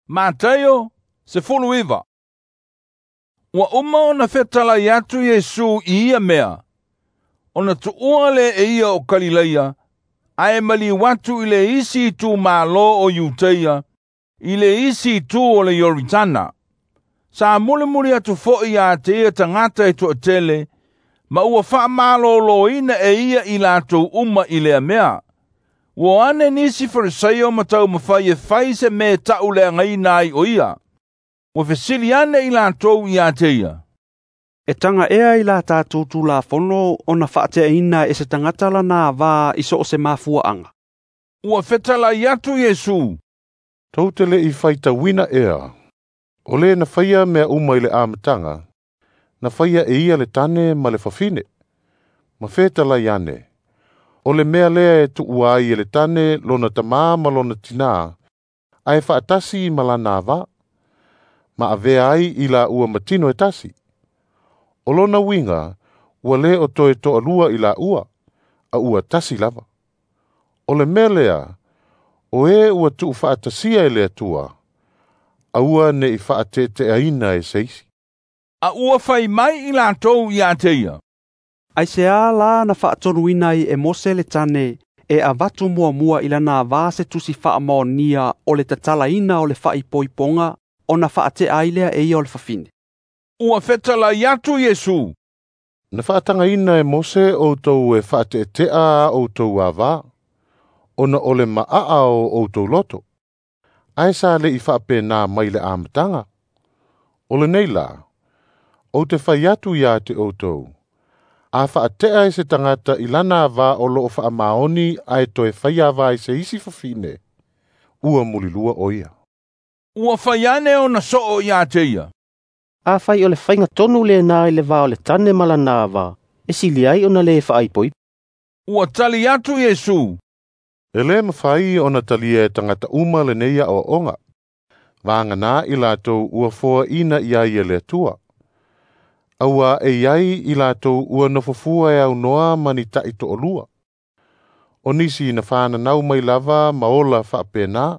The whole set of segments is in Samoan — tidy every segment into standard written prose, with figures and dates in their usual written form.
Mataio 19. Ua uma ona fetalai atu Iesu i ia mea, ona tuua lea e ia o Kalileia, ae maliu atu i le isi itumalo o Iuteia, i le isi itu o le Ioritana. Sa mulimuli atu foi ia te ia tagata e toatele, ma ua faamaloloina e ia i latou uma i lea mea. Ua ane nisi Farisaio ma taumafai e fai se mea e tauleagaina ai o ia. Ua fesili ane i latou ia te ia. E taga ea i la tatou Tulafono ona faateaina e se tagata lana avā i so o se mafuaaga. Ua fetalai atu Iesu. Tou te le i faitauina ea. O le na faia mea uma i le amataga, na faia e ia le tane ma le fafine. Ma fetalai ane, o le mea lea e tuua ai e le tane lona tamā ma lona tinā, ae faatasi ma lana avā, ma avea ai i la ua matino e tasi. O lona uiga, ua le o toe toalua i la ua, a ua tasi lava. O le mea lea, o e ua tuufaatasia e le Atua, aua ne i faateeteaina e se isi. A ua fai mai i latou ia te ia. Aisea la na faatonuina ai e Mose le tane e avatu muamua i lana avā se tusi faamaonia o le tatalaina o le faaipoipoga ona faatea ai lea e ia o le fafine. Ua fetalai atu Iesu. Na faatagaina e Mose outou e faateetea a outou avā, ona o le maaa o outou loto. Ae sa le i faapena mai le amataga. O lenei la, ou te fai atu ia te outou, a faatea e se tagata i lana avā o loo faamaoni ae toe fai avā i se isi fafine, ua mulilua o ia. Ua fai ane ona soo ia te ia. Afai o le faiga tonu lena i le va o le tane ma lana avā, e sili ai ona le faaipoipo. Ua tali atu Iesu. E le mafai ona talia e tagata uma lenei aoaoga. Vagana i latou ua foaina i ai e le Atua. Aua e iai i latou ua nofofua e aunoa ma ni tai toalua. O nisi na whananau mai lava ma ola faapena.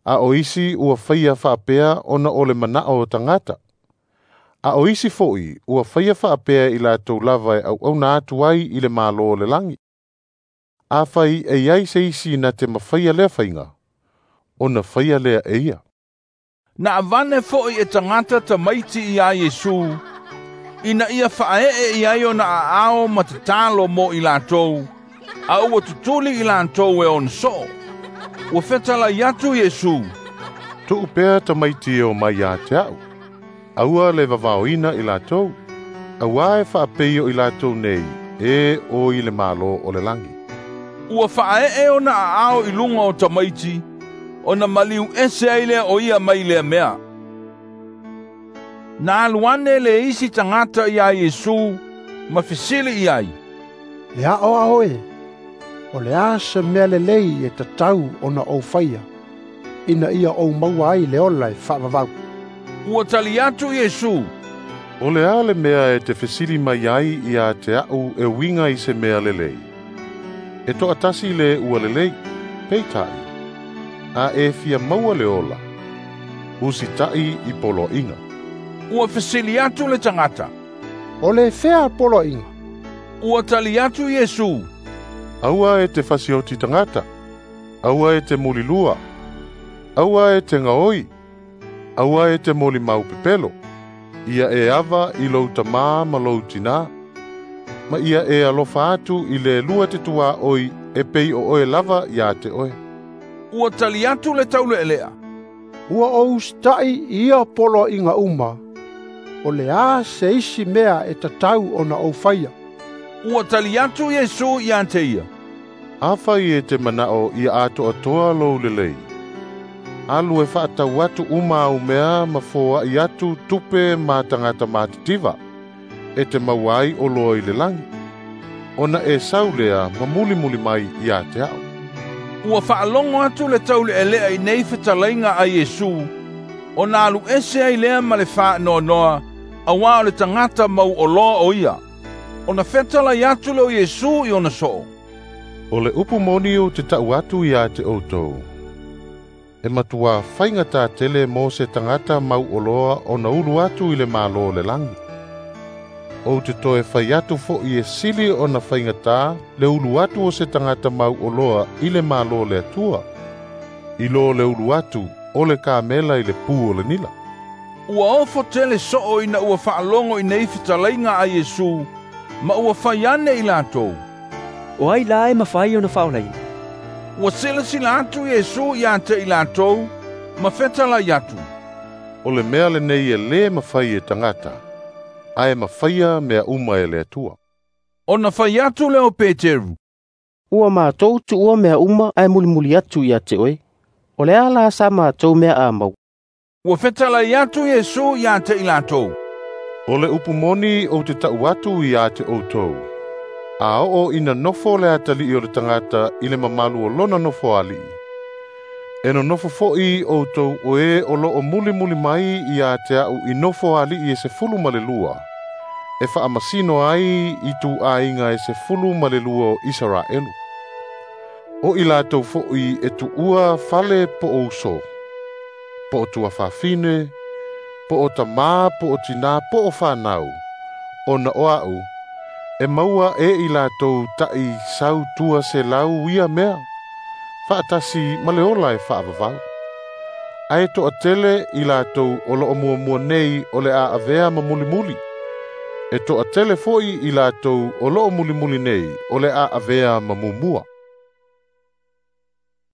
A o isi ua faia faapea ona o le manao o tagata. A o isi foi ua faia faapea i latou lava e auauna atu ai i le malo o le lagi. Afai e iai se isi na te mafaia lea faiga, ona faia lea e ia. Na avane foi e tagata tamaiti ia Iesu, ina ia faaee i ai ona aao ma tatalo mo i latou, a ua tutuli i latou e ona soo. Ua fetalai atu Iesu. Tuu pea tamaiti e o mai ia te au. Aua le vavaoina i latou. Aua e faapei o i latou nei, e o i le malo o le langi. Ua faaee ona aao i luga o tamaiti, ona maliu ese ai lea o ia mai lea mea. Na alu ane le isi tagata ia Iesu, ma fesili i ai. Le aoao e, o le a se mea lelei e tatau ona ou faia, ina ia ou maua ai le ola e faavavau. Ua tali atu Iesu. O le a le mea e te fesili mai ai ia te au e uiga i se mea lelei. E toatasi le ua lelei, peitai, a e fia maua le ola, usitai i poloaiga. Ua fesili atu le tagata. O le fea poloaiga? Ua tali atu Iesu. Aua e te fasioti tagata, aua e te mulilua, aua e te gaoi, aua e te molimau pepelo, ia e ava i lou tamā ma lou tinā, ma ia e alofa atu i le lua te tuā oi e pei o oe lava ia te oe. Ua tali atu le taulealea. Ua ou usitai i ia poloaiga uma, o le a se isi mea e tatau ona ou faia. Ua tali atu Iesu ia te ia. Afai e te manao ia atoatoa lou lelei. Alu e faatau atu uma au mea ma foai atu tupe ma tagata matitiva, e te maua ai o loa i le langi. Ona e sau lea ma mulimuli mai ia te au. Ua faalogo atu le taulealea i nei fetalaiga a Iesu, ona alu ese ai lea ma le faanoanoa, auā o le tagata mau oloa o ia. Ona fetalai atu lea o Iesu i ona soo. O le upu moni ou te tau atu ia te outou. E matuā faigata tele mo se tagata mauoloa ona ulu atu i le Malo o le lagi. Ou te toe fai atu fo'i e sili ona faigata le ulu atu o se tagata mauoloa i le Malo o le Atua, i lo le ulu atu o le kamela i le pu o le nila. Ua ofo tele soo ina ua faalogo i nei fetalaiga a Iesu, ma ua fai ane i latou. O ai la e mafai ona faaolaina? Ua silasila atu Iesu ia te i latou, ma fetalai atu. O le mea lenei e lē mafai e tagata, ae mafaia mea uma e le Atua. Ona fai atu lea o Peteru. Ua matou tuua mea uma ae mulimuli atu ia te oe. O le a la sa matou mea a mau? Ua fetalai atu Iesu ia te i latou. O le upu moni ou te ta'u atu ia te outou. A oo ina nofo le atalii o le tagata i le mamalu o lona nofo ali'i, e nonofo fo'i outou o e o loo mulimuli mai ia te a'u i nofo ali'i e 12, e faamasino ai i tuaiga e 12 o Isaraelu. O i latou fo'i e tuua fale po o uso, po o tuafafine, po o tamā, po o tinā, po o fanau, ona o a'u, e maua e i latou ta'i sau tua selau ia mea, faatasi ma le ola e faavavau. Ae toatele i latou o loo muamua nei o le a avea ma mulimuli, e toatele fo'i i latou o loo mulimuli nei o le a avea ma mumua.